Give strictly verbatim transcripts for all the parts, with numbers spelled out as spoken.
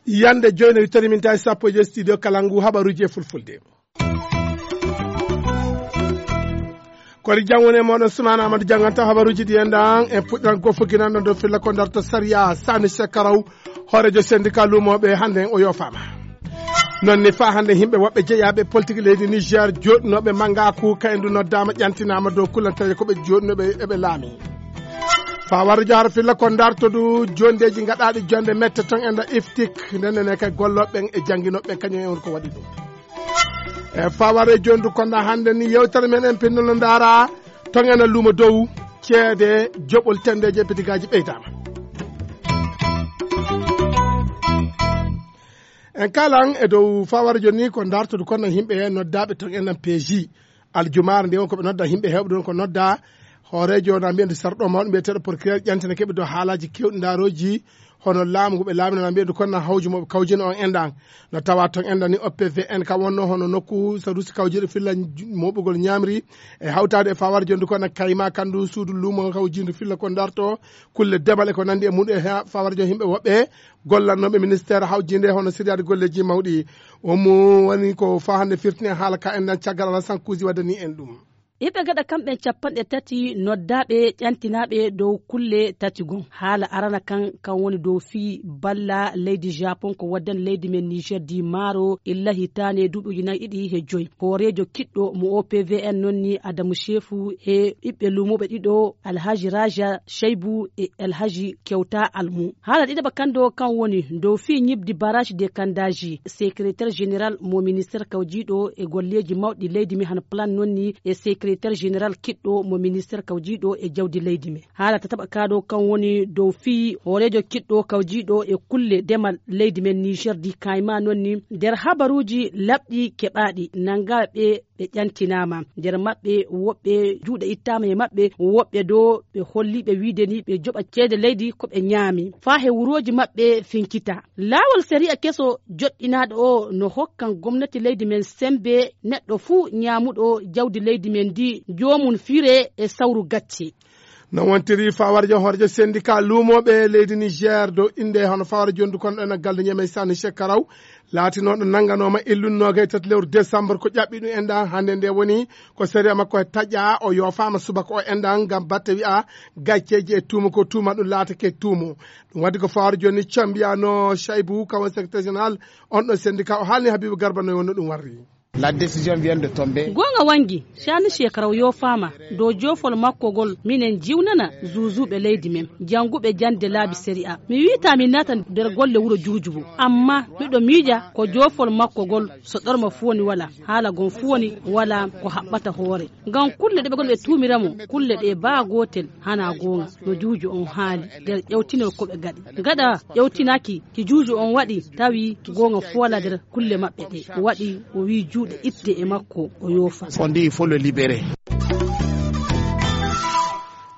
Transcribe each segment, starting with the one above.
Yande joyno yittori min tawi sappo e joy studio Kalangu, habaruji e fulfulde. Kori jangone moɗon Sumana Amadou janganta habaruji ɗi en ɗan. En puɗɗiran gofo ginanɗo dow filla ko darto sariya Sani Sekaraw, hoorejo syndicat lumoɓe hande o yofama. Non ni fa hande yimɓe woɓɓe jeeyaɓe politique leydi Niger joɗɗinoɓe mangaku ka en du noddama ƴantinama dow kullanteje ko ɓe joɗɗinoɓe eɓe laami. Fa warjo har filla ko darto du jondeji gaɗaɗi jonde mette ton en da iftik, ndenne ne kay golloɓe ɓen e janginoɓe ɓen kañum en woni ko waɗi ɗum. E faware jondu konda hande ni yewtere men en pinnolo ndara ton ena lumo dow ceede joɓol tendeje pitigaji ɓeydama. En kalan e dow faware joni ko dartodu kono yimɓe noddaɓe ton enen peeji aljumare nde won ko ɓe nodda yimɓe hewɓe ɗon ko nodda hoorejo na mbiyande sarɗo mawɗo mbiyeteɗo procureur ƴantina keɓe dow haalaji kewɗi ndaroji hono laamu ngu ɓe laamino na mbiyande kono na hawju moɓe kawjino on enɗan. No tawa ton enɗan ni O P V N ka wonno hono nokku sadusi kawjiɗo filla moɓugol ñamri e hawtade e fawar jondu kono kayma kandu suudu lumo kawjindu filla ko darto kulle demal e ko nandi e muɗum e fawar jon yimɓe woɓɓe gollannoɓe ministère hawjinde hono siriyade golleji mawɗi. Omo woni ko fa hande firtini e haala ka enɗan caggal ala sankuji waddani en ɗum. Iɓe gaɗa kamɓe capanɗe tati noddaaɓe ƴantinaaɓe dow kulle tati gon. Haala arana kan, kan woni dow fii balla leydi Japon ko waddani leydi men Niger di maaro illa hitaande duuɓi ujunnaaji ɗiɗi he joy. Hooreejo kiɗɗo mo O P V N non ni Adamu Shefu he ɓiɓɓe luumooɓe ɗiɗo Alhaji Raja Shaibu e Alhaji Kewta Almu. Haala ɗiɗaɓa kan do kan woni dow fii ñibdi barrage de Kandaji. Secrétaire général mo ministère kawjiiɗo e golleeji mawɗi leydi mi hano plan non ni e secrétaire général kiɗɗo mo ministère kawjiiɗo e jawdi leydi mi. Haala tataɓa ka do kan woni dow fii hooreejo kiɗɗo kawjiiɗo e kulle demal leydi men Niger di kayma non ni nder habaruuji laɓɗi keɓaaɗi nangaaɓe ɓe ƴantinaama. Nder maɓɓe woɓɓe juuɗe ittaama e maɓɓe, woɓɓe do ɓe holliiɓe wiide ni ɓe joɓa ceede leydi ko ɓe ñaami. Faa he wurooji maɓɓe finkita. Laawol sariya keso joɗɗinaaɗo o no hokkan gomnati leydi men sembe neɗɗo fuu ñaamuɗo jawdi leydi men ndi joomum fire e sawru gacce. No wontiri fawar jo horejo syndicat luumooɓe leydi Niger dow innde hono fawar jondu kon ɗo ena galle Ñamey Sani Shekarau laatinooɗo nannganooma illunnoogay tati lewru décembre ko ƴaɓɓi ɗum enɗan hannde nde woni ko sariya makko e taƴƴa o yoofaama subaka o enɗan ngam batte wi'a gacceeji e tuuma ko tuuma ɗum laatake tuumo. Ɗum waɗi ko fawar jooni cambiyaano Chaibu kawan secrétaire général on ɗo syndicat o haalni Habibu Garba no wonno ɗum warri. La décision vient de tomber. Goonga wangi Sani Shekaraw yoofaama dow joofol makko ngol minen jiwnana zuuzuuɓe leydi men jannguɓe jannde laabi sariya. Mi wiita mi naata nder golle wuro juujubu amma miɗo miija ko joofol makko ngol so ɗorma fuu woni wala haala gon fuu woni wala ko haɓɓata hoore. Ngam kulle ɗe ɓe ngoni ɓe tuumira mo kulle ɗe baa gootel hana goonga no juuju on haali nder ƴewtinol ko ɓe gaɗi. Gaɗa ƴewtinaaki ki juuju on waɗi tawi goonga fuu wala nder kulle maɓɓe ɗe waɗi o wii juuɗe itte e makko o yoofa. On dit il faut le libérer.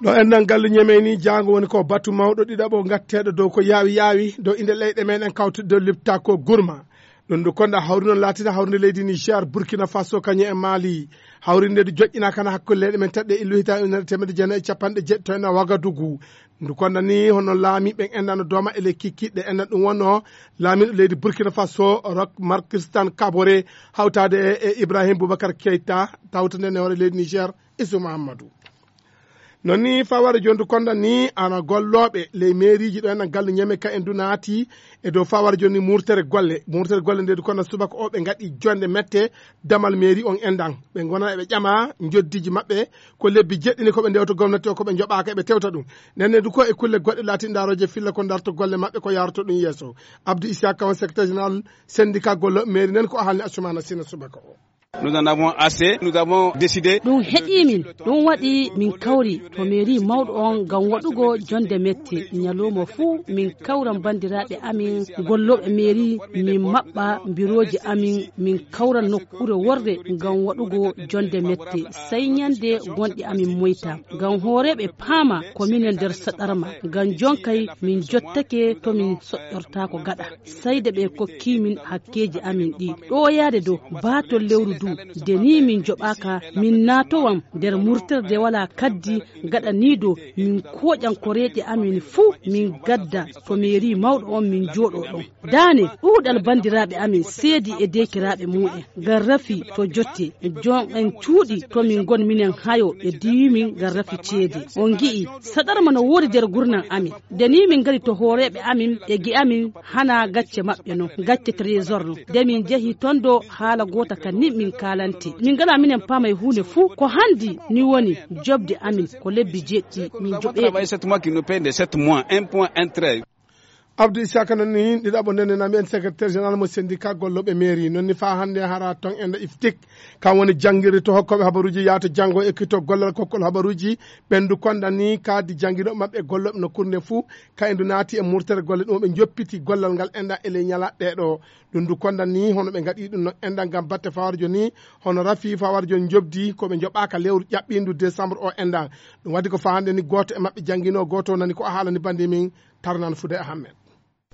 Ɗo enɗan galle ñemeyni jaango woni ko batu mawɗo ɗiɗaɓo gatteeɗo dow ko yaawi yaawi dow inde leyɗe meɗen kawtude dow lipta ko gurma. Ɗum ndu konda hawri noon laatida hawrinde leydi Niger, Burkina Faso, kañum e Mali. Hawrinde ndu joƴƴina kana hakkunde leyɗe men tedɗe illu hita ujunere teemedde jeenayi e capanɗe jeeɗito e Wagadugu. Ndu konda ni hono laamiiɓe en enɗan no dooma e ley kikiɗe enɗan ɗum wonno laamiiɗo leydi Burkina Faso Roch Marc Christian Kaboré hawtaade e Ibrahim Boubacar Keita tawtande ne hoore leydi Niger Isu Mahamadou. Non ni faware jondu konda ni ana gollooɓe ley meeriiji ɗo enɗan galle ñeme ka en du naati e dow faware jonni murtere golle murtere golle nde du konda subaka o ɓe ngaɗi jonde mette damal meeri on enɗan ɓe gona eɓe ƴama njoddiji maɓɓe ko lebbi jeɗɗini ko ɓe ndewta gomnati o ko ɓe joɓaka eɓe tewta ɗum. Nenne du ko e kulle goɗɗe laati ndaroje filla ko darto golle maɓɓe ko yaroto ɗum yeeso. Abdou Issa Kawan secrétaire général syndicat gollooɓe meeri nen ko o haalni Assoumana Sina subaka o. Nous en avons assez, nous avons décidé. Ɗum heƴii min ɗum waɗi min kawri to mairie mawɗo on ngam waɗugo jonde mette ñalawma fuu min kawran banndiraaɓe amin gollooɓe mairie min maɓɓa birooji amin min kawran nokkuure worre ngam waɗugo jonde mette sey ñande gonɗi amin moyta. Ngam hooreeɓe paama ko minen nder saɗarma ngam jonkay min jottake to min soƴƴortaako gaɗa. Sayde ɓe kokki min hakkeeji amin ɗi ɗoyaade dow baatol lewru Nde nii min njoɓaaka, min naatowan nder murterde walaa kaddi gaɗaniiɗo, min kooƴan koreeje amin fuu, min ngadda to meeri mawɗo on, min njooɗoo ɗon. Daane, ɗuuɗal banndiraaɓe amin seedi e deekiraaɓe muu'en, ngam rafi to jotte, jom'en cuuɗi to min ngon minen hayo e diwi min ngam rafi ceede. On ngi'i, saɗarma no woodi nder gurdam amin. Nde nii min ngari to hooreeɓe amin e gi'amin hana gacce maɓɓe non, gacce trésor non. Nde min njehi ton ɗo haala goota kan ni min kaalante. Min ngalaa minen paama e huunde fuu. Ko hanndi ni woni joɓde amin ko lebbi jeeɗiɗi min joɓeeɗi. Sept mois qui nous paye de sept mois, un point un trait. Abdou Isaka noon ni ɗiɗaɓo ndenenami en secrétaire général mo syndicat gollooɓe mairie noon ni faa hannde hara ton enda iftik. Kam woni janngirde to hokkooɓe habaruuji yahata janngo e ekkito gollal kokkol habaruuji ɓen ndu kondan ni kaadi jannginooɓe maɓɓe e gollooɓe nokkuure nde fuu. Kayen ndu naati e murtere golle ɗum ɓe njoppiti gollal ngal enɗan e ley ñalaaɗe ɗee ɗoo. Ɗum ndu kondan ni hono ɓe ngaɗi ɗum no enɗan ngam batte fawarjo ni hono rafi fawarjo njobdi ko ɓe njoɓaaka lewru ƴaɓɓiindu décembre o enɗan. Ɗum waɗi ko faa hannde ni gooto e maɓɓe jannginoo gooto nani ko a haalani bannde min tarnan fude ahammed.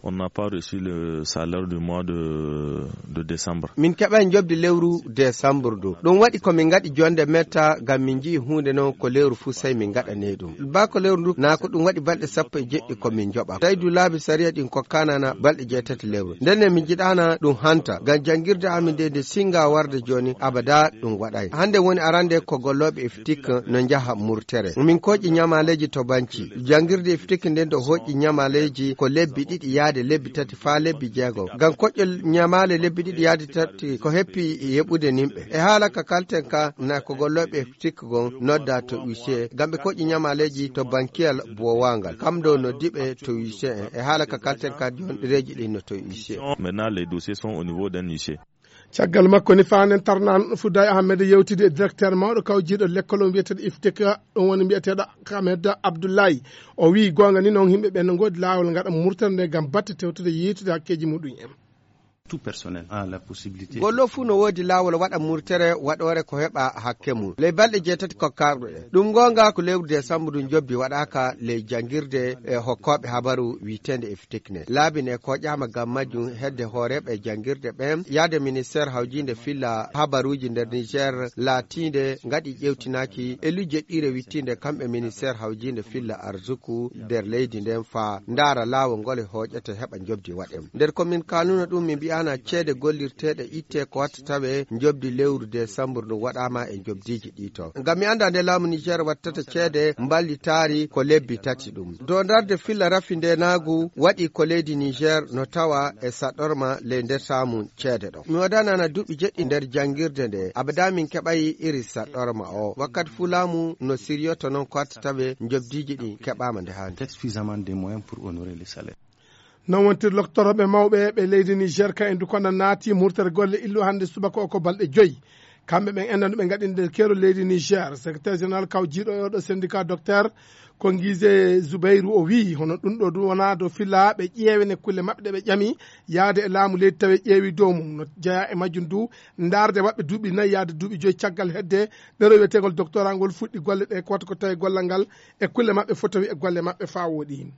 On n'a pas reçu le salaire du mois de, de décembre. Min keɓay njobdi lewru décembre du. Ɗum waɗi ko min ngaɗi jonde metta ngam min nji'i huunde non ko lewru fuu sey min ngaɗaney ɗum. Baa ko lewru ndu, naa ko ɗum waɗi balɗe sappo e jeɗɗi ko min njoɓa. Tawi du laabi sariya ɗin kokkaanana balɗe jeetati lewru. Ndenne min njiɗaana ɗum hanta, ngam janngirde amin nde nde singa warde jooni, abada ɗum waɗay. Hannde woni arande ko gollooɓe iftik no njaha murtere. Min kooƴi ñamaaleeji to banci. Janngirde iftik nden ɗo hooƴi ñamaaleeji ko lebbi ɗiɗi yaade lebbi tati faa lebbi jeego. Ngam koƴƴol ñamaale lebbi ɗiɗi yaade tati ko heppi yeɓude nimɓe. E haala ka kalten ka na ko gollooɓe iftik gon nodda to huissier. Ngam ɓe koƴƴi ñamaaleeji to bankiyal bowangal. Kam ɗo noddi ɓe to huissier en. E haala ka kalten ka jon ɗereeji ɗin no to huissier. Maintenant, les dossiers sont au niveau d'un huissier. Caggal makko ni faanen tarnan fudda e ahmed yewtidi e directeur mawɗo kawjiiɗo lekkol o mbiyeteeɗo iftika ɗum woni mbiyeteeɗo ahmed abdoullahi. O wii goonga ni noon yimɓe ɓen no ngoodi laawol ngaɗa murtere nde ngam batte tewtude yiitude hakkeeji muɗum en. Tout personnel a la possibilité. Gollo fuu no woodi laawol waɗa murtere waɗoore ko heɓa hakke mum ley balɗe jeetati kokkaaɗo ɗe. Ɗum goonga ko lewru décembre ndu njobbi waɗaaka ley janngirde e hokkooɓe habaru wiiteende e fitikne laabi ne koƴaama ngam majjum hedde hooreeɓe janngirde ɓen yaade ministeer hawjiinde filla habaruuji nder niger laatiinde ngaɗi ƴewtinaaki e lujje ɗiire wittiinde kamɓe ministeer hawjiinde filla arsuku nder leydi nden faa ndaara laawol ngol e hooƴete heɓa njobdi waɗen. Nder ko min kaanuno ɗum min mbi'aana ceede gollirteeɗe itte ko watta tawe njobdi lewru desambur ndu waɗaama e njobdiiji ɗi to ngam mi annda nde laamu niger wattata ceede mballitaari ko lebbi tati ɗum dow ndarde filla rafi ndenaagu waɗi ko leydi niger no tawa e saɗorma ley nder saamu ceede ɗo mi wadanana duuɓi jeɗɗi nder janngirde nde abada min keɓayi iri saɗorma o wakkati fuu laamu no siryoto noon ko watta tawe njobdiiji ɗi keɓaama nde haandi. Suffisamment de moyens pour honorer les salaires. Non wontir loktorooɓe mawɓe ɓe leydi niger ka en dukona naati murtere golle illu hannde subaka o ko balɗe joyi. Kamɓe ɓen enɗan ɗo ɓe ngaɗi nder keerol leydi niger secrétaire général kawjiiɗo e oɗo syndicat docteur ko ngise zubeyru o wii hono ɗum ɗo du wonaa dow filla ɓe ƴeewe ne kulle maɓɓe ɗe ɓe ƴami yaade e laamu leydi tawi ƴeewi dow mum no jeyaa e majjum du ndaarde maɓɓe duuɓi nayi yaade duuɓi joyi caggal hedde ɗero wiyeteegol doctorat ngol fuɗɗi golle ɗe ko wata ko tawi gollal ngal e kulle maɓɓe fotawi e golle maɓɓe faa wooɗi.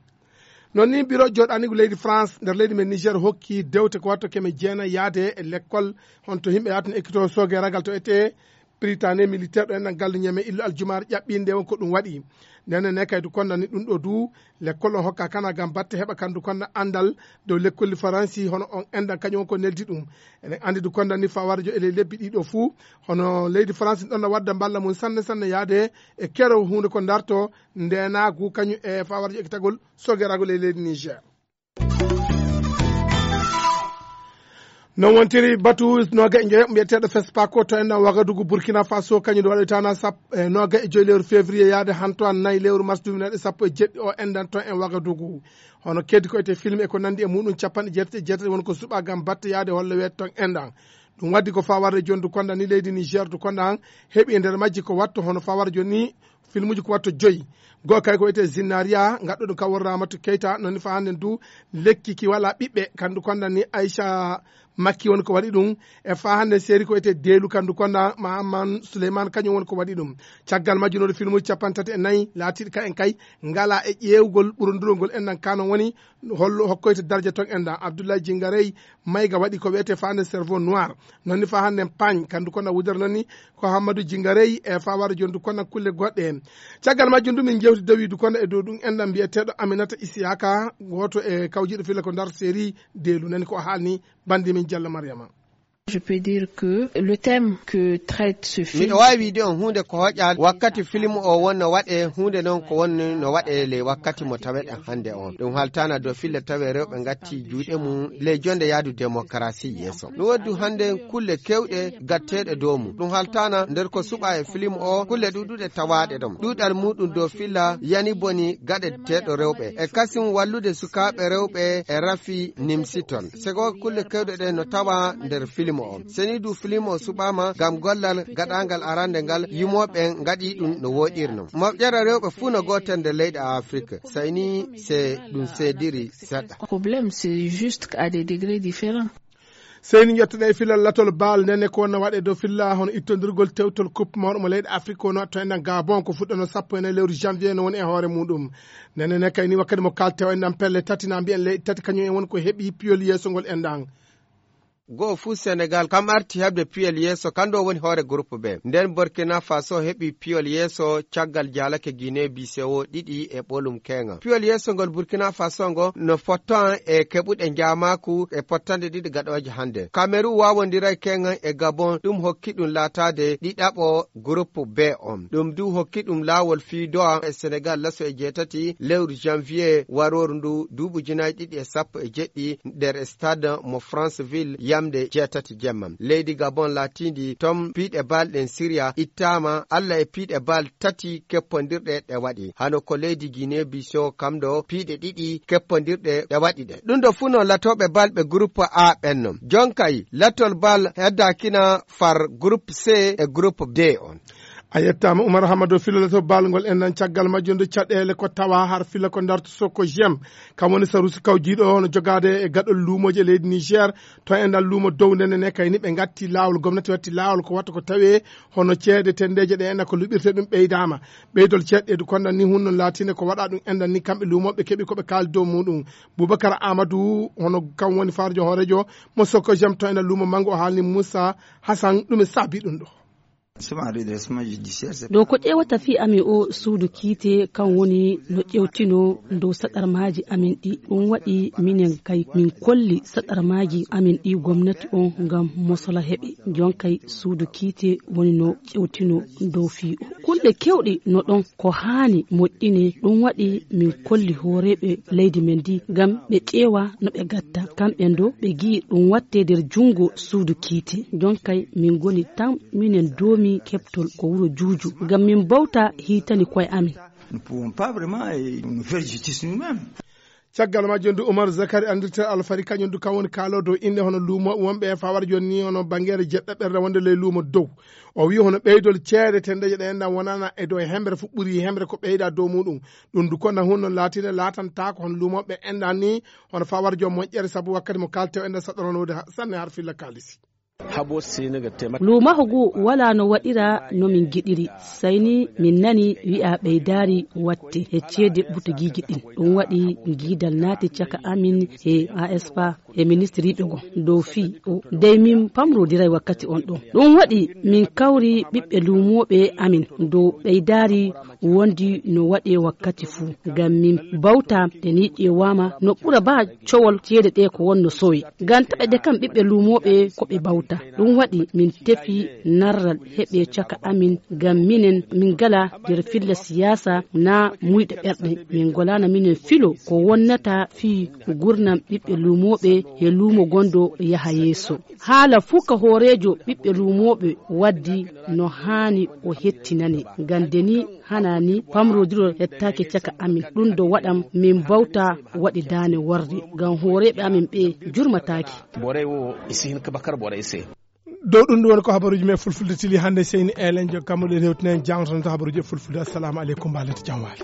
Noon ni biro jooɗaanigu leydi france nder leydi men niger hokki dewte ko watto keme jeenayi yaade e lekkol honto yimɓe yaatin ekkito sooge ragal to ete britanie militaire ɗo enɗan galluñe men illu aljumaare ƴaɓɓiinde on ko ɗum waɗi. Ndenen ne kaydu kondani ɗum ɗo du lekkol on hokka kana gam batte heɓa kandu konna anndal dow lekkolli faransi hono on enɗan kañum on ko neldi ɗum. Eɗen anndi du kondani fawarjo e ley lebbi ɗiɗo fuu hono leydi faransi ɗon no wadda mballa mum sanne sanne yaade e kero huunde ko darto ndenaagu kañum e fawarjo ekkitagol sogeragol e leydi niger. Non wontiri batu noga e joyo mbiyeteɗo fespako to enɗan wagadugu burkina faso kañum nde waɗoytana sappo e noga e joyi lewru février yaade hantoan nayi lewru mars duminaɗe sappo e jeɗɗi o enɗan ton en wagadugu. Hono keddi ko ete film e ko nandi e muɗum capanɗe jeetati e jeetati woni ko suɓa gam batte yaade holle weete ton enɗan. Ɗum waddi ko fawarde jondu konda ni leydi niger du konda han heɓi e nder majji ko watto hono fawarde joni filmuji ko watto joyi. Goo kay ko wiyetee zinnaria gaɗɗo ɗum ka worramatu keyta noni fa hannden du lekki ki wala ɓiɓɓe kandu kondan ni aicha. Makki woni ko waɗi ɗum. E faa hannde seeri ko wiyetee Deelu, kandu konna Mahaman Suleyman, kañum woni ko waɗi ɗum. Caggal majjunooɗo filmuuji capanɗe tati e nayi laatiiɗi ka en kay, ngala e ƴeewgol ɓurondurol ngol enɗan, kano woni hollo hokkoyte darja ton enɗan. Abdoulaye Jingarey Mayga waɗi ko wiyetee faa hannde Cerveau Noir. Noon ni faa hannde Paañ, kandu konna wudere noon ni ko Hammadou Jingarey e faa wara jondu konna kulle goɗɗe en. Caggal majjum du min jewti dawiidu konna e dow ɗum enɗan mbiyeteeɗo Aminata Isiyaka, gooto e kawjiiɗo filla ko ndar seeri Deelu, nani ko o haalni bandi min Jallo Mariama. Je peux dire que le thème que traite ce film miɗo waawi wiide on huunde ko hoƴa wakkati film o won no waɗe, huunde noon ko won no waɗe ley wakkati mo taweɗen hannde on. Ɗum haltana dow filla tawe rewɓe ngatti juuɗe mum ley jonde yaadu démocratie yeeso. Ɗum waddu hannde kulle kewɗe gatteeɗe dow mum. Ɗum haltana nder ko suɓa e film o, kulle ɗuɗuɗe tawaaɗe ɗon. Ɗuuɗal muɗum dow filla yani boni gaɗeteeɗo rewɓe. E kasin wallude sukaaɓe rewɓe e rafi nimsiton. Sego kulle kewɗe ɗe no tawa nder film o. Seni du film o suɓaama ngam gollal gaɗangal arande ngal, yumooɓe ngaɗi ɗum no woɗirno. Moƴƴere rewɓe fuu no gootel nder leyɗe Afrik. Sayni se ɗum seediri seɗɗa. Problème, c'est juste qu'à des degrés différents. Seyni ƴettoɗen e filal latol baal, ndenne ko wonno waɗe dow filla hono ittondirgol tewtol coupe mawɗo mo leyɗe Afrique, kono to enɗan Gabon ko fuɗɗano sappo e nayi lewru janvier no woni e hoore muɗum. Ndenne ne kayni wakkati mo kaltew enɗan pelle tati na mbiyen leyɗe tati kañum en woni ko heɓi piyol yeeso ngol enɗan. Go'o fuu Senegal kam arti heɓde piyol yeeso, kanɗo woni hoore groupe B. Nden Burkina Faso heɓi piyol yeeso caggal jaalake Guinée Bissau ɗiɗi e ɓolum keeŋa. Piyol yeeso ngol Burkina Faso ngo no fottan e keɓuɗe njaamaaku e pottanɗe ɗiɗi gaɗooje hannde. Cameroun waawondiray keeŋa e Gabon, ɗum hokki ɗum laataade ɗiɗaɓo groupe B on. Ɗum du hokki ɗum laawol fii do'a e Senegal laso e jeetati lewru janvier warooru ndu duuɓi ujunaaji ɗiɗi e sappo e jeɗɗi nder stade mo Franceville yamde jeetati jemma. Leydi Gabon laatiindi tom piiɗe bal ɗen sirya ittaama Alla e piiɗe bal tati keppondirɗe ɗe waɗi. Hano ko leydi Guinée Bissau kam ɗo piiɗe ɗiɗi keppondirɗe ɗe waɗi ɗe. Ɗum ɗo fuu no latooɓe bal ɓe groupe A ɓen non. Jonkay latol bal heddaakina far groupe C e groupe D on. A yettaama Umar Hamado, filalato baalngol en nan caggal majjum nde caɗeele ko tawa har fila ko ndarto Soko Jem. Kam woni sarusi kawjiiɗo hono jogaade e gaɗol luumooji e leydi Niger. To enɗan luumo dow ndene ne kayni ɓe ngatti laawol, gomnati watti laawol ko watta ko tawee hono ceede tendeeje ɗe enɗan ko luɓirte ɗum ɓeydaama. Ɓeydol ceeɗɗeedu konɗan ni hunno laatinde ko waɗa ɗum enɗan ni kamɓe luumooɓe keɓi ko ɓe kaali dow muɗum. Boubacar Amadou hono kam woni farjo hoorejo mo Soko Jem to enɗan luumo manngo o haalni Moussa Hassan ɗum e saabi ɗum ɗo. Ɗo ko ƴeewata fii amin o suudu kiite, kan woni no ƴewtino dow saɗarmaaji amin ɗi. Ɗum waɗi minen kay min kolli saɗarmaaji amin ɗi gomnati on ngam mosola heɓe. Jon kay suudu kiite woni no ƴewtino dow fii o. Kulle kewɗe no ɗon ko haani moƴƴine. Ɗum waɗi min kolli hooreeɓe leydi men ndi ngam ɓe ƴeewa no ɓe gatta. Kamɓe ndo ɓe gi'i ɗum watte nder junngo suudu kiite. Jon kay min ngoni tan minen doomi keɓtol ko wuro Juuju ngam min mbawta hiitani koye amin. Nous pouvons pas vraiment, eh, nous faire justice nous-mêmes. Caggal majjum du Umar Zakari anndirte Alfari kañum du kam woni kaalo dow innde hono luumo wonɓe e fawar jooni ni hono bangeere jeɗɗaɓerde wonde ley luumo dow. O wi hono ɓeydol ceede tendeje ɗe enɗan wonana e dow hemre fu ɓuri hemre ko ɓeyda dow muɗum. Ɗum du konna hunno laatinde laatantaako hono luumoɓe enɗan ni hono fawar joom moƴƴere sabu wakkati mo kaltew enɗan saɗɗorano wode ha-, sanne har filla kaalisi. Luumaho ngu walaa no waɗira no min ngiɗiri. Sayni min nani wi'a ɓeydaari watte he ceede butugiiji ɗin. Ɗum waɗi ngiidal naati caka amin he A S P A he ministiriiɓe goo dow fii o. Dey min pamrodiray wakkati on ɗon. Ɗum waɗi min kawri ɓiɓɓe luumooɓe amin dow ɓeydaari wondi no waɗee wakkati fuu. Ngam min bawta nde ni ƴeewaama no ɓura baa cowol ceede ɗe ko wonno sowi. Ngam taɓe ɗe kam ɓiɓɓe luumooɓe ko ɓe bawta. Ɗum waɗi min tefi narral heɓe caka amin ngam minen min ngala nder filla siyaasa naa muyɗe ɓerɗe. Min ngolaana minen filo ko wonnata fii gurnam ɓiɓɓe luumooɓe he luumo gondo yaha yeeso. Haala fuu ka hooreejo ɓiɓɓe luumooɓe waddi no haani o hettinane. Ngam nde ni hana ni pamrodiro hettaaki caka amin. Ɗum do waɗam min bawta waɗi daane warde. Ngam hooreeɓe amin ɓe jurmataaki. Borey wo i si hin ka bakar borey se. Dow ɗum ɗum woni ko habaruuji men fulfulde tili hannde. Seyni Elenjo Kammuɗo rewtinen jangtono to habaruuji e fulfulde. Assalamu aleykum, mbalente jam waali.